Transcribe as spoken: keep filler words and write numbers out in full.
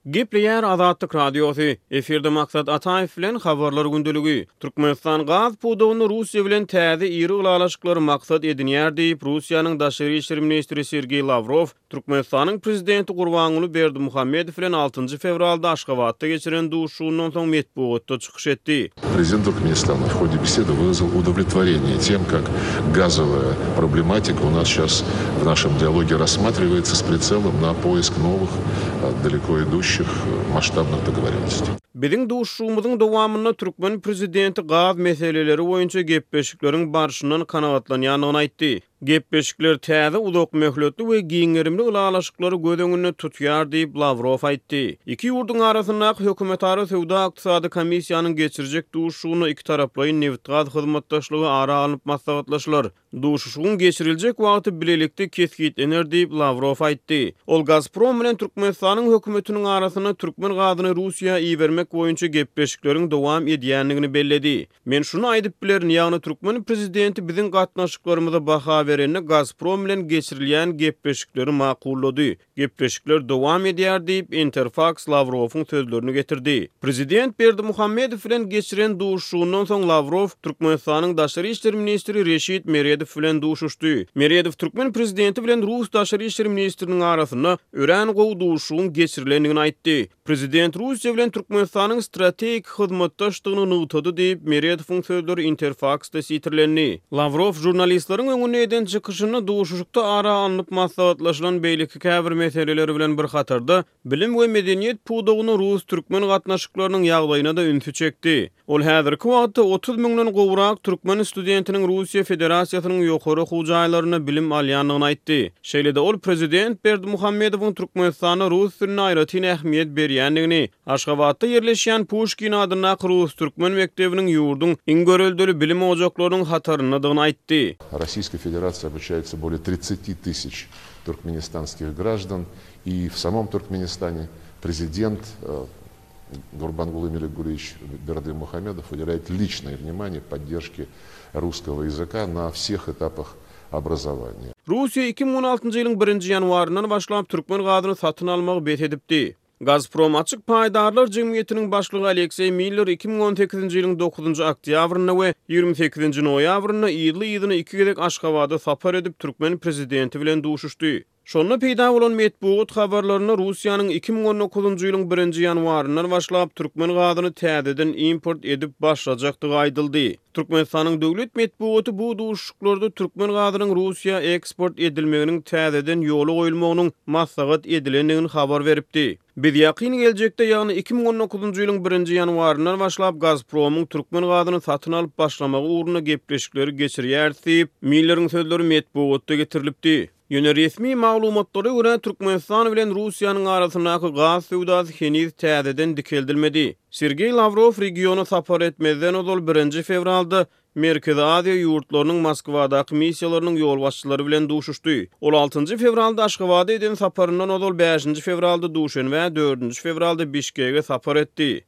Gepleýär Azatlyk Radiosy. Efirde Maksat Ataýew bilen Habarlar gündeligi. Türkmenistan gaz pudagynda Russiýa bilen täze iri ylalaşyklary maksat edinýär diýip, Russiýanyň daşary işler ministri Sergeý Lawrow Türkmenistanyň prezidenti Gurbanguly Berdimuhamedow bilen altynjy fewralda Aşgabatda geçiren duşuşygyndan soň metbugatda çykyş etdi. Prezident Türkmenistana в ходе беседы выразил удовлетворение тем, как газовая проблематика у нас сейчас в нашем диалоге рассматривается с прицелом на поиск новых, далеко идущих масштабных договоренностей. Biziň duşuşygymyzyň dowamynda türkmen prezidenti gaz meseleleri boýunça gepleşikleriň barşyndan kanagatlanýandygyny aýtdy. Gepleşikler täze uzak möhletli we giň gerimli ylalaşyklary göz öňünde tutýar diýip Lawrow aýtdy. Iki ýurduň arasyndaky hökümetara söwda-ykdysady komissiýanyň geçirjek duşuşygynda iki taraplaýyn nebit-gaz hyzmatdaşlygy ara alnyp maslahatlaşylar. Duşuşygyň geçiriljek wagty bilelikde kesgitlener diýip Lawrow aýtdy. Ol Gazprom bilen Türkmenistanyň hökümetiniň arasynda türkmen gazyny Russiýa ibermek boýunça gepleşikleriň dowam edýändigini belledi. Men şuny aýdyp bilerin, ýagny türkmen prezidenti biziň gatnaşyklarymyza baha berende Gazprom bilen geçirilýän gepleşikleri makullady. Gepleşikler dowam edýär diýip Interfax Lawrowyň sözlerini getirdi. Prezident Berdimuhamedow bilen geçiren duşuşygyndan soň Lawrow Türkmenistanyň daşary işler ministri Reşit Meredow bilen duşuşdy. Meredow türkmen prezidenti bilen Rus daşary işler ministriniň arasynda örän gowy duşuşygyň geçirilendigini aýtdy. Prezident Russiýa bilen Türkmenistanyň strategik hyzmatdaşdygyny nygtady diýip Meredowyň sözleri Interfaxda sitirlendi. Lawrow žurnalistleriň öňünde eden çykyşynda duşuşykda ara alnyp maslahatlaşylan beýleki käbir meseleleri bilen bir hatarda bilim we medeniýet pudagyny rus-türkmen gatnaşyklarynyň ýagdaýyna-da ünsi çekdi. Ol häzirki wagtda otuz müňden gowrak türkmen studentiniň Russiýa Federasiýasynyň ýokary okuw jaýlarynda bilim alýandygyny aýtdy. Şeýle-de ol prezident Berdimuhamedowyň Türkmenistanda rus diline aýratyn ähmiýet berýändigini, Aşgabatda ýerleşýän Puşkin adyndaky rus-türkmen mekdebiniň ýurduň iň göreldeli bilim ojaklarynyň hataryndadygyny aýtdy. Российской Федерации обучается более тридцати тысяч туркменистанских граждан, и в самом Туркменистане президент Гурбангулы Меликгулевич Бердымухамедов уделяет личное внимание поддержке русского языка на всех этапах образования. Russiýa iki müň on altynjy ýylyň birinji ýanwaryndan başlap türkmen gazyny satyn almagy bes edipdi. Gazprom açyk paýdarlar jemgyýetiniň başlygy Alekseý Miller iki müň on sekizinji ýylyň dokuzynjy oktýabrynda we ýigrimi sekizinji noýabrynda ýyly-ýylyna iki gezek Aşgabada sapar edip türkmen prezidenti bilen duşuşdy. Şonda peýda bolan metbugat habarlarynda Russiýanyň iki müň on dokuzynjy ýylyň birinji ýanwaryndan başlap türkmen gazyny täzeden import edip başlajakdygy aýdyldy. Türkmenistanyň döwlet metbugaty bu duşuşyklarda türkmen gazynyň Russiýa eksport edilmeginiň täzeden ýola goýulmagynyň maslahat edilendigini habar beripdi. Biz ýakyn geljekde, ýagny iki müň on dokuzynjy ýylyň birinji ýanwaryndan başlap Gazpromyň türkmen gazyny satyn alyp başlamagy ugrunda gepleşikleri geçirýär diýip, Milleriň sözleri metbugatda getirilipdi. Ýöne resmi maglumatlara görä Türkmenistan bilen Russiýanyň arasyndaky gaz söwdasy heniz täzeden dikeldilmedi. Sergeý Lawrow regiona sapar etmezden ozal birinji fewralda Merkezi Aziýa ýurtlarynyň Moskwadaky missiýalarynyň ýolbaşçylary bilen duşuşdy. Ol altynjy fewralda Aşgabada eden saparyndan ozal bäşinji fewralda Duşenbä, dördünji fewralda Bişkege sapar etdi.